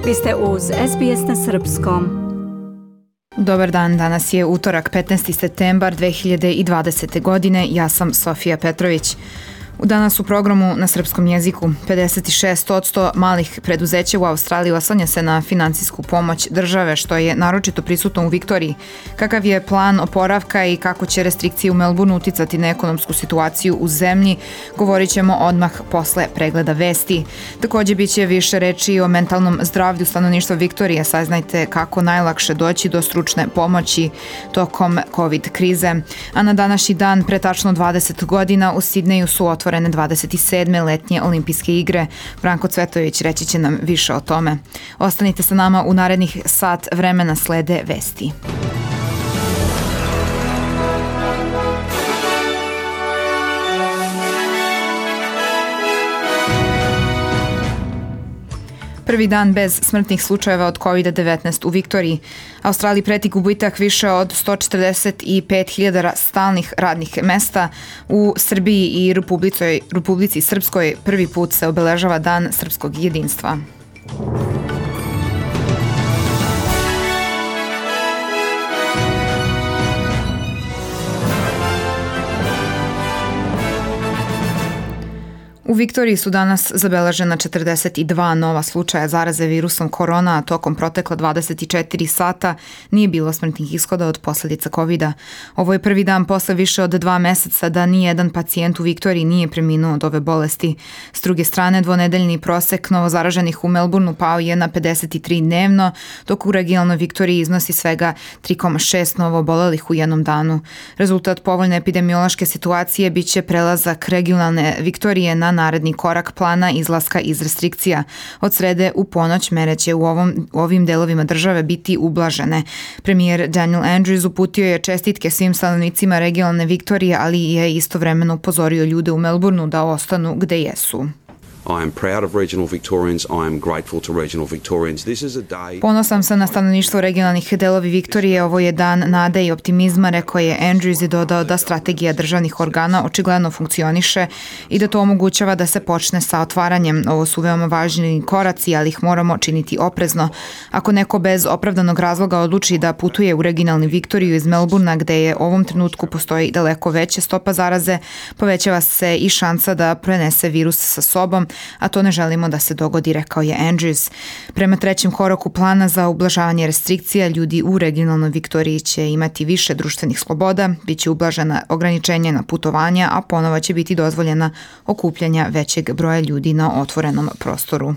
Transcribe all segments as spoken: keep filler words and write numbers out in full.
Vi ste uz S B S na srpskom. Dobar dan, danas je utorak petnaesti septembar dve hiljade dvadesete. godine, ja sam Sofija Petrović. U danas u programu na srpskom jeziku pedeset šest posto malih preduzeća u Australiji oslanja se na finansijsku pomoć države, što je naročito prisutno u Viktoriji. Kakav je plan oporavka i kako će restrikcije u Melbourneu uticati na ekonomsku situaciju u zemlji, govorit ćemo odmah posle pregleda vesti. Također bit će više reči o mentalnom zdravlju stanovništva Viktorije. Saznajte kako najlakše doći do stručne pomoći tokom COVID krize. A na današnji dan, pre tačno dvadeset godina, u Sidneju su otvorene dvadeset sedme letnje olimpijske igre. Branko Cvetović reći će nam više o tome. Ostanite sa nama, u narednih sat vremena slede vesti. Prvi dan bez smrtnih slučajeva od covid devetnaest u Viktoriji. Australiji preti gubitak više od sto četrdeset pet hiljada stalnih radnih mesta. U Srbiji i Republici, Republici Srpskoj prvi put se obeležava Dan srpskog jedinstva. U Viktoriji su danas zabeležena četrdeset dva nova slučaja zaraze virusom korona, a tokom protekla dvadeset četiri sata nije bilo smrtnih ishoda od posljedica covida. Ovo je prvi dan posle više od dva meseca da nijedan pacijent u Viktoriji nije preminuo od ove bolesti. S druge strane, dvonedeljni prosek novozaraženih u Melbourneu pao je na pedeset tri dnevno, dok u regionalnoj Viktoriji iznosi svega tri zarez šest novo obolelih u jednom danu. Rezultat povoljne epidemiološke situacije biće prelazak regionalne Viktorije na naredni korak plana izlaska iz restrikcija. Od srede u ponoć mere će u, ovom, u ovim delovima države biti ublažene. Premijer Daniel Andrews uputio je čestitke svim stanovnicima regionalne Viktorije, ali je istovremeno upozorio ljude u Melbourneu da ostanu gde jesu. I am proud of regional Victorians. I am grateful to regional Victorians. This is a day... Ponosan sam na stanovništvo regionalnih delovi Viktorije. Ovo je dan nade i optimizma, rekao je Andrews i dodao da strategija državnih organa očigledno funkcioniše i da to omogućava da se počne sa otvaranjem. Ovo su veoma važni koraci, ali ih moramo činiti oprezno. Ako neko bez opravdanog razloga odluči da putuje u regionalni Viktoriju iz Melbournea, gde je u ovom trenutku postoji daleko veća stopa zaraze, povećava se i šansa da prenese virus sa sobom, a to ne želimo da se dogodi, rekao je Andrews. Prema trećem koraku plana za ublažavanje restrikcija, ljudi u regionalnoj Viktoriji će imati više društvenih sloboda, bit će ublažena ograničenja na putovanja, a ponovo će biti dozvoljena okupljanja većeg broja ljudi na otvorenom prostoru.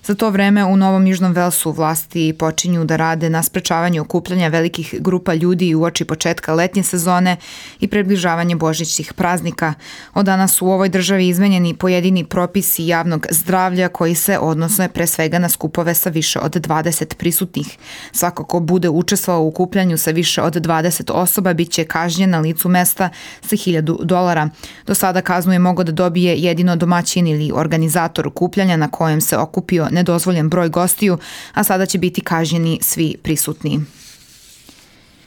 Za to vreme u Novom Južnom Velsu vlasti počinju da rade na sprečavanju okupljanja velikih grupa ljudi uoči početka letnje sezone i približavanje božićnih praznika. Od danas su u ovoj državi izmenjeni pojedini propisi javnog zdravlja koji se odnose pre svega na skupove sa više od dvadeset prisutnih. Svako ko bude učestvovao u okupljanju sa više od dvadeset osoba bit će kažnjen na licu mesta sa hiljadu dolara. Do sada kaznu je mogao da dobije jedino domaćin ili organizator okupljanja na kojem se okupio nedozvoljen broj gostiju, a sada će biti kažnjeni svi prisutni.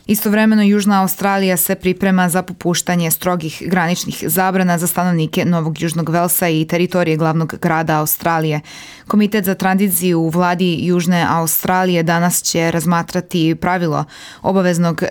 Istovremeno, Južna Australija se priprema za popuštanje strogih graničnih zabrana za stanovnike Novog Južnog Velsa i teritorije glavnog grada Australije. Komitet za tranziciju u vladi Južne Australije danas će razmatrati pravilo obaveznog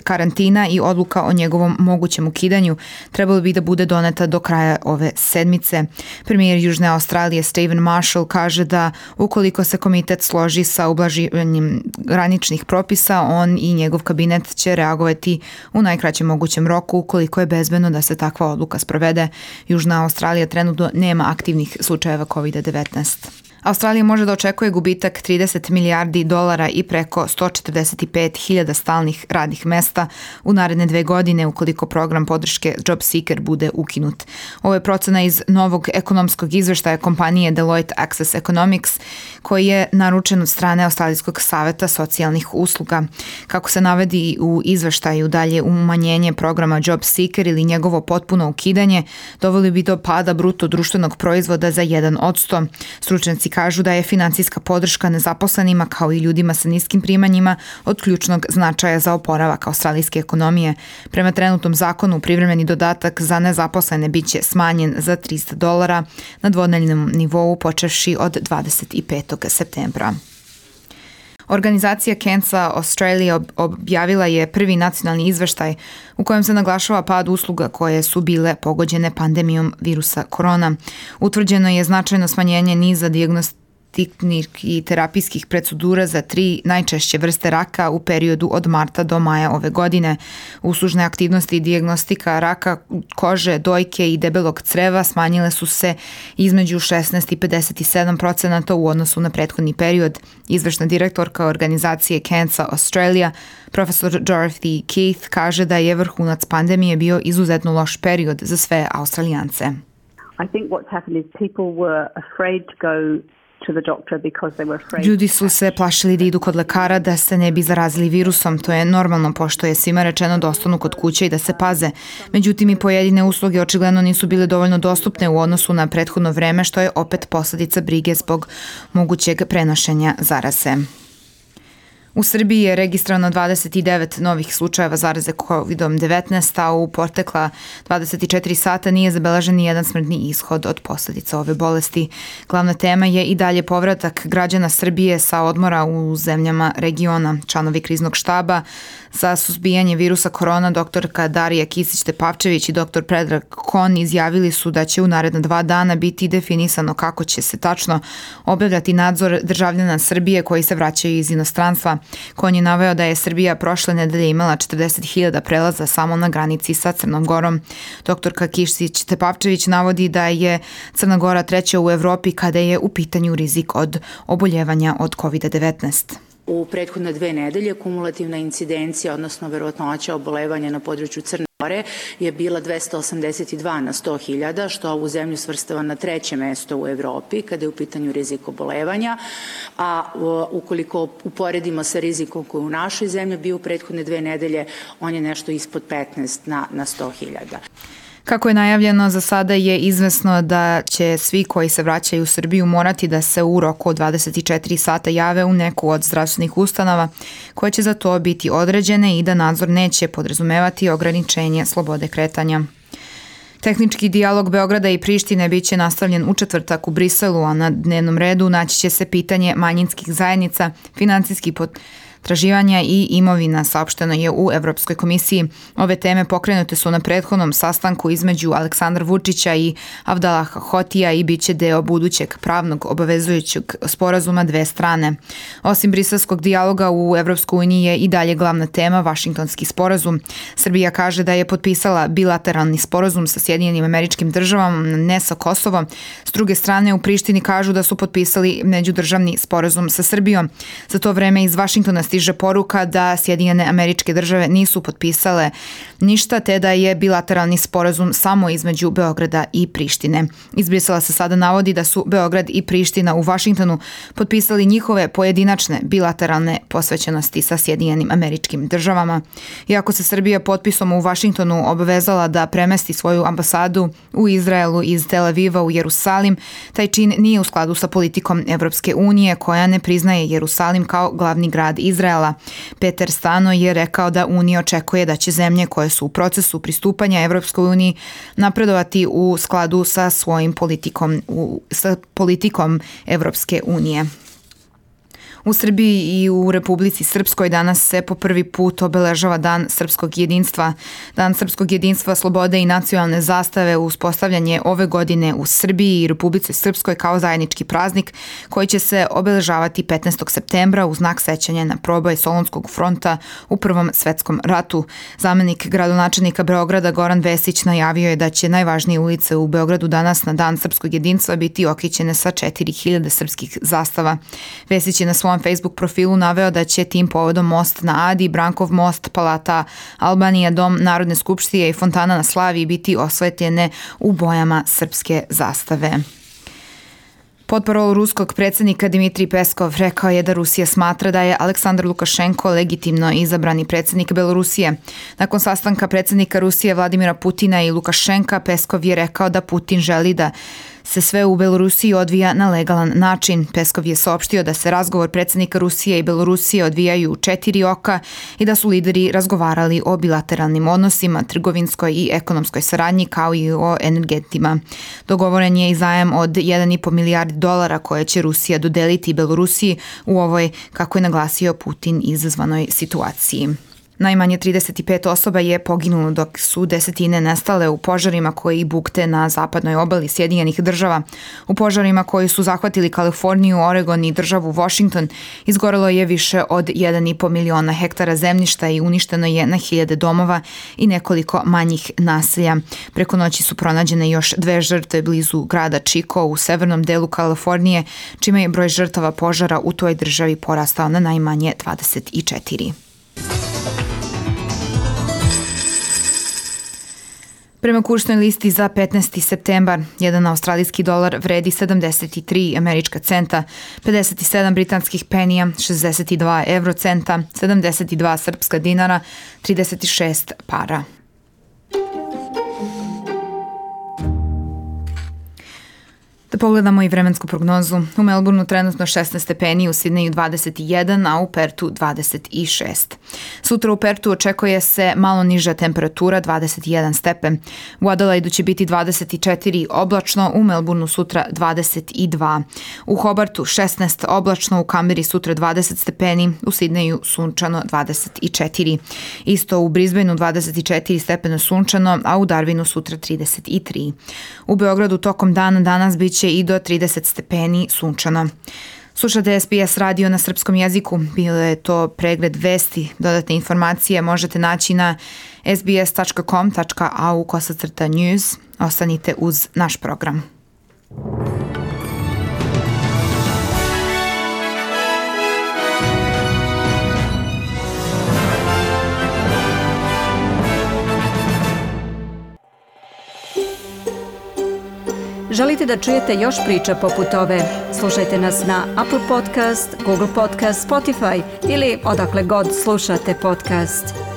karantina i odluka o njegovom mogućem ukidanju trebalo bi da bude doneta do kraja ove sedmice. Premijer Južne Australije Stephen Marshall kaže da ukoliko se komitet složi sa ublaživanjem graničnih propisa, on i njegov kabinet će reagovati u najkraćem mogućem roku ukoliko je bezbedno da se takva odluka sprovede. Južna Australija trenutno nema aktivnih slučajeva covid devetnaest. Australija može da očekuje gubitak trideset milijardi dolara i preko sto četrdeset pet hiljada stalnih radnih mesta u naredne dve godine ukoliko program podrške JobSeeker bude ukinut. Ovo je procena iz novog ekonomskog izveštaja kompanije Deloitte Access Economics koji je naručen od strane Australijskog saveta socijalnih usluga. Kako se navedi u izveštaju, dalje umanjenje programa JobSeeker ili njegovo potpuno ukidanje doveli bi do pada bruto društvenog proizvoda za jedan posto. Stručnjaci kažu da je finansijska podrška nezaposlenima kao i ljudima sa niskim primanjima od ključnog značaja za oporavak australijske ekonomije. Prema trenutnom zakonu, privremeni dodatak za nezaposlene biće smanjen za trista dolara na dvonedeljnom nivou počevši od dvadeset petog septembra. Organizacija Cancer Australia objavila je prvi nacionalni izveštaj u kojem se naglašava pad usluga koje su bile pogođene pandemijom virusa korona. Utvrđeno je značajno smanjenje niza dijagnostika i terapijskih procedura za tri najčešće vrste raka u periodu od marta do maja ove godine. Uslužne aktivnosti i dijagnostika raka kože, dojke i debelog creva smanjile su se između šesnaest i pedeset sedam procenata u odnosu na prethodni period. Izvršna direktorka organizacije Cancer Australia, profesor Dorothy Keith, kaže da je vrhunac pandemije bio izuzetno loš period za sve Australijance. I think what's happened is people were afraid to go Ljudi su se plašili da idu kod lekara da se ne bi zarazili virusom. To je normalno pošto je svima rečeno da ostanu kod kuće i da se paze. Međutim, i pojedine usluge očigledno nisu bile dovoljno dostupne u odnosu na prethodno vreme, što je opet posledica brige zbog mogućeg prenošenja zaraze. U Srbiji je registrovano dvadeset devet novih slučajeva zaraze kovid devetnaest, a u protekla dvadeset četiri sata nije zabeležen ni jedan smrtni ishod od posljedica ove bolesti. Glavna tema je i dalje povratak građana Srbije sa odmora u zemljama regiona. Članovi kriznog štaba za suzbijanje virusa korona, doktorka Darija Kisić-Tepavčević i doktor Predrag Kon izjavili su da će u naredna dva dana biti definisano kako će se tačno obavljati nadzor državljana Srbije koji se vraćaju iz inostranstva. Kon je naveo da je Srbija prošle nedelje imala četrdeset hiljada prelaza samo na granici sa Crnom Gorom. Doktorka Kisić-Tepavčević navodi da je Crna Gora treća u Evropi kada je u pitanju rizik od oboljevanja od kovid devetnaest. U prethodne dve nedelje kumulativna incidencija, odnosno verovatnoća obolevanja na području Crne Gore je bila dvesta osamdeset dva na sto hiljada, što ovu zemlju svrstava na treće mesto u Evropi kada je u pitanju rizik obolevanja, a ukoliko uporedimo sa rizikom koji u našoj zemlji bio u prethodne dve nedelje, on je nešto ispod petnaest na, na sto hiljada. Kako je najavljeno, za sada je izvesno da će svi koji se vraćaju u Srbiju morati da se u roku od dvadeset četiri sata jave u neku od zdravstvenih ustanova koje će za to biti određene i da nadzor neće podrazumevati ograničenje slobode kretanja. Tehnički dijalog Beograda i Prištine biće nastavljen u četvrtak u Briselu, a na dnevnom redu naći će se pitanje manjinskih zajednica, financijski pot traživanja i imovina, saopšteno je u Evropskoj komisiji. Ove teme pokrenute su na prethodnom sastanku između Aleksandra Vučića i Avdalaha Hotija i bit će deo budućeg pravnog obavezujućeg sporazuma dve strane. Osim briselskog dijaloga u Evropskoj uniji je i dalje glavna tema Vašingtonski sporazum. Srbija kaže da je potpisala bilateralni sporazum sa Sjedinjenim Američkim Državama, ne sa Kosovom. S druge strane, u Prištini kažu da su potpisali međudržavni sporazum sa Srbijom. Za to vreme iz Vašingtona stiže poruka da Sjedinjene Američke Države nisu potpisale ništa, te da je bilateralni sporazum samo između Beograda i Prištine. Iz Brisela se sada navodi da su Beograd i Priština u Vašingtonu potpisali njihove pojedinačne bilateralne posvećenosti sa Sjedinjenim Američkim Državama. Iako se Srbija potpisom u Vašingtonu obavezala da premesti svoju ambasadu u Izraelu iz Tel Aviva u Jerusalim, taj čin nije u skladu sa politikom Evropske unije koja ne priznaje Jerusalim kao glavni grad Izraela. Peter Stano je rekao da Unija očekuje da će zemlje koje su u procesu pristupanja Evropskoj uniji napredovati u skladu sa svojim politikom, u, sa politikom Evropske unije. U Srbiji i u Republici Srpskoj danas se po prvi put obeležava Dan srpskog jedinstva. Dan srpskog jedinstva, slobode i nacionalne zastave uspostavljanje ove godine u Srbiji i Republici Srpskoj kao zajednički praznik koji će se obeležavati petnaestog septembra u znak sećanja na proboj Solunskog fronta u Prvom svetskom ratu. Zamenik gradonačelnika Beograda Goran Vesić najavio je da će najvažnije ulice u Beogradu danas na Dan srpskog jedinstva biti okićene sa četiri hiljade srpskih zastava. Vesić je na svom Facebook profilu naveo da će tim povodom most na Adi, Brankov most, Palata Albanija, Dom Narodne skupštine i fontana na Slaviji biti osvetljene u bojama srpske zastave. Potparol ruskog predsjednika Dimitrij Peskov rekao je da Rusija smatra da je Aleksandar Lukašenko legitimno izabrani predsjednik Belorusije. Nakon sastanka predsjednika Rusije Vladimira Putina i Lukašenka, Peskov je rekao da Putin želi da se sve u Belorusiji odvija na legalan način. Peskov je saopštio da se razgovor predsjednika Rusije i Belorusije odvijaju u četiri oka i da su lideri razgovarali o bilateralnim odnosima, trgovinskoj i ekonomskoj saradnji kao i o energetima. Dogovoren je i zajam od jedan i po milijardi dolara koje će Rusija dodeliti Belorusiji u ovoj, kako je naglasio Putin, izazvanoj situaciji. Najmanje trideset pet osoba je poginulo dok su desetine nestale u požarima koji bukte na zapadnoj obali Sjedinjenih država. U požarima koji su zahvatili Kaliforniju, Oregon i državu Washington izgorelo je više od jedan i po miliona hektara zemljišta i uništeno je na hiljade domova i nekoliko manjih naselja. Preko noći su pronađene još dve žrtve blizu grada Chico u severnom delu Kalifornije, čime je broj žrtava požara u toj državi porastao na najmanje dvadeset četiri. Prema kursnoj listi za petnaesti septembar, jedan australijski dolar vredi sedamdeset tri američka centa, pedeset sedam britanskih penija, šezdeset dva evrocenta, sedamdeset dva srpska dinara, trideset šest para. Da pogledamo i vremensku prognozu. U Melbourneu trenutno šesnaest stepeni, u Sidneju dvadeset jedan, a u Pertu dvadeset šest. Sutra u Pertu očekuje se malo niža temperatura, dvadeset jedan stepen. U Adelaidu će biti dvadeset četiri oblačno, u Melbourneu sutra dvadeset dva. U Hobartu šesnaest oblačno, u Kamberi sutra dvadeset stepeni, u Sidneju sunčano dvadeset četiri. Isto u Brisbaneu dvadeset četiri stepena sunčano, a u Darwinu sutra trideset tri. U Beogradu tokom dana danas bit će i do trideset stepeni sunčano. Slušate S B S radio na srpskom jeziku. Bilo je to pregled vesti. Dodatne informacije možete naći na sbs tačka com tačka a u kosacrta news. Ostanite uz naš program. Želite da čujete još priča poput ove? Slušajte nas na Apple Podcast, Google Podcast, Spotify ili odakle god slušate podcast.